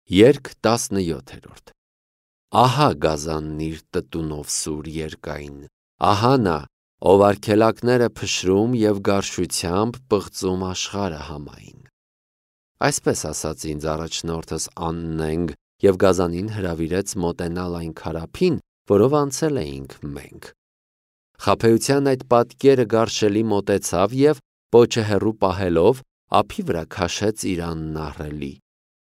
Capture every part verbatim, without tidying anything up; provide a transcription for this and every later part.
Երգ տասնյոթերորդ Ահա գազանն իր տտունով սուր երկայն, ահա նա, ով արգելակները փշրում և գարշությամբ պղծում աշխարհը համային։ Այսպես ասաց ինձ առաջնորդս Աննենգ և գազանին հրավիրեց մոտենալ այն քարափին, որով անցել էինք մենք։ Խաբեության այդ պատկերը գարշելի մոտեցավ և, պոչը հեռու պահելով, ափի վրա քաշեց իր անն ահռելի։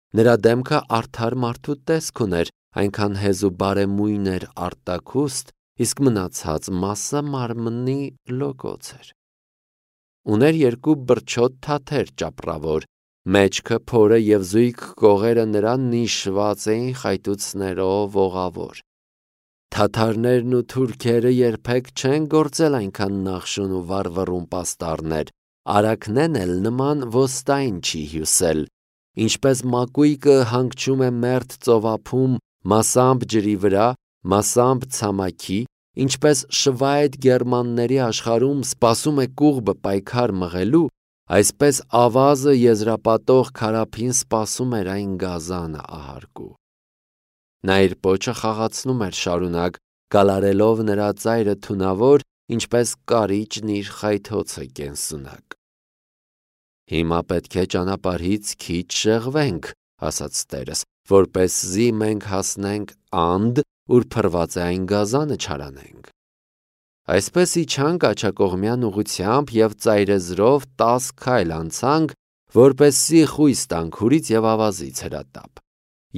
Նրա դեմքը արդար մարդու տեսք ուներ, այնքան հեզ ու բարեմույն էր արտաքուստ, իսկ մնացած մասը մարմնի լոկոց էր։ Ուներ երկու բրչոտ թաթեր ճապռավոր, մեջքը փորը և զույգ կողերը նրան նիշված էին խայտուցներով ողավոր։ Թաթարներն ու թուրքերը երբեք չեն գործել այնքան նախշուն ու վառվռուն պաստառներ, արաքնեն էլ նման ոստայն չի հյուսել, ինչպես մակույկը հանգչում է մերթ ծովափում մասամբ ջրի վրա, մասամբ ցամաքի, ինչպես շվայտ գերմանների աշխարհում սպասում է կուղբը պայքար մղելու, այսպես ավազը եզրապատող քարափին սպասում էր այն գազանը ահարկու։ Նա իր պոչը խաղացնում էր շարունակ, գալարելով նրա ծայրը թունավոր, ինչպես կարիճն իր խայթոցը կենսունակ։ Հիմա պետք է ճանապարհից քիչ շեղվենք, ասաց տերս, որպեսզի մենք հասնենք անդ, ուր փռված է այն գազանը չարանենք։ Այսպես իջանք աջակողմյան ուղղությամբ և ծայրեզրով տաս քայլ անցանք, որպեսզի խույս տանք հուրից և ավազից հրատապ։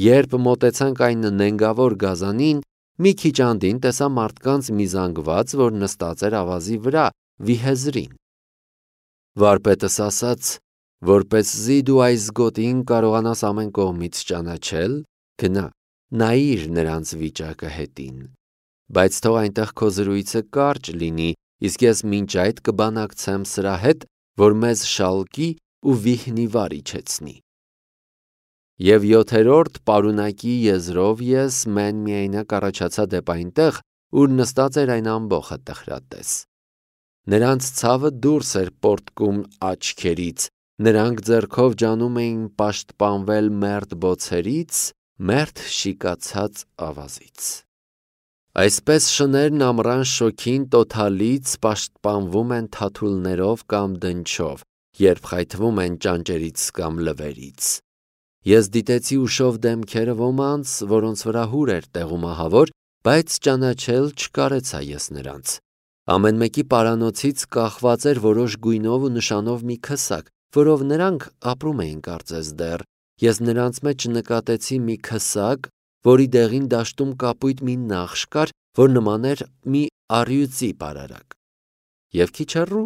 Երբ մոտեցանք այն նենգավոր գազանին, մի քիչ անդին տեսա մարդկանց մի զանգված, որ նստած էր ավազի վրա, վիհեզրին։ Վարպետս ասաց, որպեսզի դու այս գոտին կարողանաս ամեն կողմից ճանաչել, գնա, նայիր նրանց վիճակը հետին, բայց թող այնտեղ քո զրույցը կարճ լինի, իսկ ես մինչ այդ կբանակցեմ սրա հետ, որ մեզ շալկի ու վիհնիվար իջեցնի։ Եվ յոթերորդ պարունակի եզրով ես մեն-միայնակ առաջացա դեպ այնտեղ, ուր նստած էր այն ամբոխը տխրատես։ Նրանց ցավը դուրս էր պոռթկում աչքերից, նրանք ձեռքով ջանում էին պաշտպանվել մերթ բոցերից, մերթ շիկացած ավազից։ Այսպես շներն ամռան շոգին տոթալից պաշտպանվում են թաթուլներով կամ դնչով, երբ խայթվում են ճանճերից կամ լվերից։ Ես դիտեցի ուշով դեմքերը ոմանց, որոնց վրա հուր էր տեղում ահավոր, բայց ճանաչել չկարեցա ես նրանց։ Ամեն մեկի պարանոցից կախված էր որոշ գույնով ու նշանով մի քսակ, որով նրանք ապրում էին կարծես դեռ։ Ես նրանց մեջ նկատեցի մի քսակ, որի դեղին դաշտում կապույտ մի նախշ կար, որ նման էր մի առյուծի պարարակ։ Եվ քիչ հեռու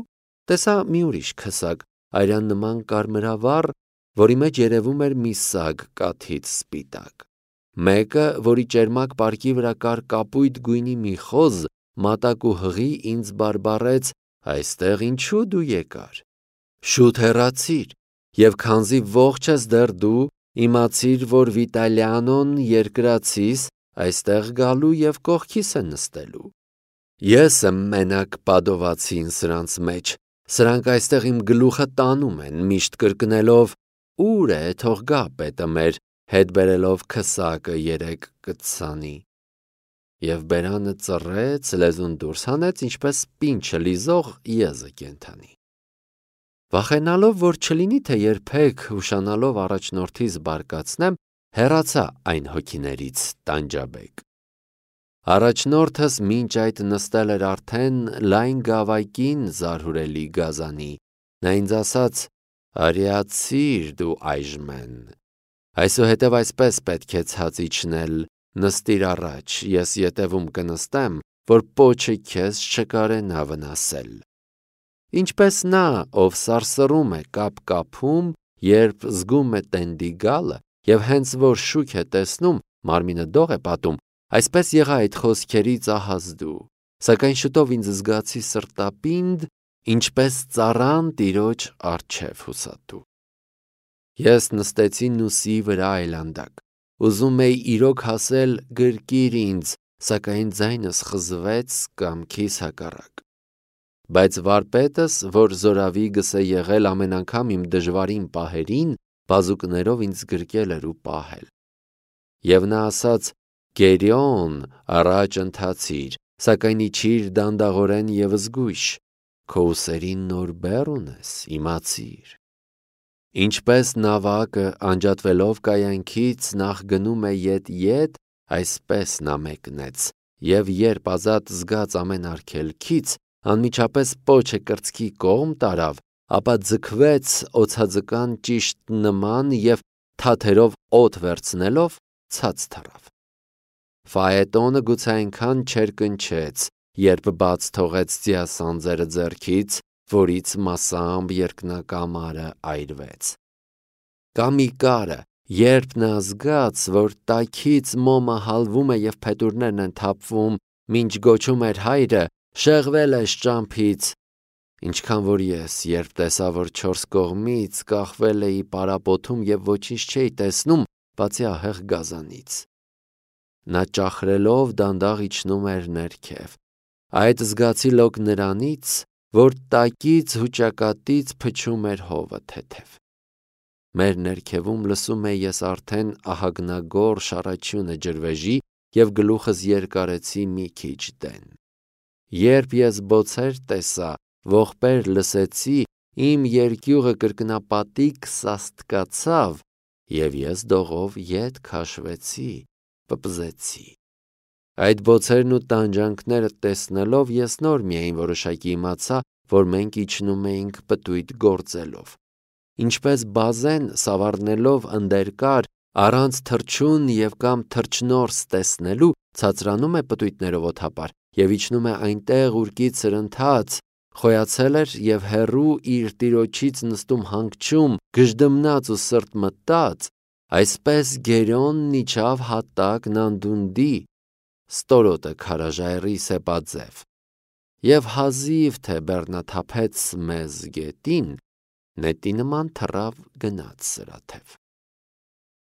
տեսա մի ուրիշ քսակ, արյան նման կարմրավառ, որի մեջ երևում էր մի սագ կաթից սպիտակ։ Մեկը, որի ճերմակ պարկի վրա կար կապույտ գույնի մի խոզ, մատակ ու հղի, ինձ բարբառեց. «Այստեղ ինչու դու եկար։ Շուտ հեռացիր, և քանզի ողջ ես դեռ դու, իմացիր, որ Վիտալիանոն երկրացիս այստեղ գալու և կողքիս է նստելու։ Ես եմ մենակ պադովացին սրանց մեջ, սրանք այստեղ իմ գլուխը տանում են, միշտ կրկնելով. «Ո՞ւր է, թող գա պետը մեր», հետ բերելով քսակը երեք կծանի»։ Եվ բերանը ծռեց, լեզուն դուրս հանեց, ինչպես պինչը լիզող եզը կենդանի։ Վախենալով, որ չլինի թե երբեք ուշանալով առաջնորդիս բարկացնեմ, հեռացա այն հոգիներից տանջաբեկ։ Առաջնորդս մինչ այդ նստել էր արդեն լայն գավակին զարհուրելի գազանի։ Նա ինձ ասաց. «Արիացիր դու այժմեն։ Այսուհետև այսպես պետք է ցած իջնել, նստիր առաջ, ես ետևում կնստեմ, որ պոչը քեզ չկարենա վնասել»։ Ինչպես նա, ով սարսռում է կապ-կապում, երբ զգում է տենդի գալը, և հենց որ շուք է տեսնում, մարմինը դող է պատում, այսպես եղա այդ խոսքերից ահազդու, սակայն շուտով ինձ զգացի սրտապինդ, ինչպես ծառան տիրոջ առջև հուսատու։ Ես նստեցի նուսի վրա այլանդակ, ուզում էի իրոք հասել գրկիր ինձ, սակայն ձայնս խզվեց կամքիս հակառակ։ Բայց վարպետս, որ զորավիգս է եղել ամեն անգամ իմ դժվարին պահերին, բազուկներով ինձ գրկել էր ու պահել։ Եվ նա ասաց. «Գերիոն, առաջ ընթացիր, սակայն իջիր դանդաղորեն և զգույշ, քո ուսերին նոր բեռ ունես, իմացիր»։ Ինչպես նավակը անջատվելով կայանքից նախ գնում է ետ-ետ, այսպես նա մեկնեց, և երբ ազատ զգաց ամեն արգելքից, անմիջապես պոչը կրծքի կողմ տարավ, ապա ձգվեց օձաձկան ճիշտ նման և թաթերով օդ վերցնելով ցած թռավ։ Ֆաետոնը գուցե այնքան չերկնչեց, երբ բաց թողեց ձիասանձերը ձեռքից, որից մասամբ երկնակամարը այրվեց։ Կամ Իկարը, երբ նա զգաց, որ տաքից մոմը հալվում է և փետուրներն են թափվում, մինչ գոչում էր հայրը. «Շեղվել ես ճամփից», ինչքան որ ես, երբ տեսա, որ չորս կողմից կախվել էի պարապոթում և ոչինչ չէի տեսնում, բացի ահեղ գազանից։ Նա ճախրելով դանդաղ իջնում էր ներքև։ Այդ զգացի լոկ նրանից, որ տակից հուճակատից փչում էր հովը թեթև։ Մեր ներքևում լսում էի ես արդեն ահագնագորշ առաջյունը ջրվեժի և գլուխս երկարեցի մի քիչ դեն։ Երբ ես բոցեր տեսա, ողբեր լսեցի, իմ երկյուղը կրկնապատիկ սաստկացավ, և ես դողով ետ քաշվեցի, պպզեցի։ Այդ բոցերն ու տանջանքները տեսնելով ես նոր միայն որոշակի իմացա, որ մենք իջնում էինք պտույտ գործելով։ Ինչպես բազեն սավառնելով ընդերկար, առանց թռչուն և կամ թռչնորս տեսնելու, ցածրանում է պտույտներով օդապար և իջնում է այնտեղ, ուր կից սրընթաց, խոյացել էր և հեռու իր տիրոջից նստում հանգչում, գժդմնաց ու սրտմտած, այսպես Գերիոնն իջավ հատակ Նանդունդի ստորոտը քարաժայռի սեպաձև, և հազիվ թե բեռնաթափեց մեզ գետին, նետի նման թռավ գնաց սրաթև։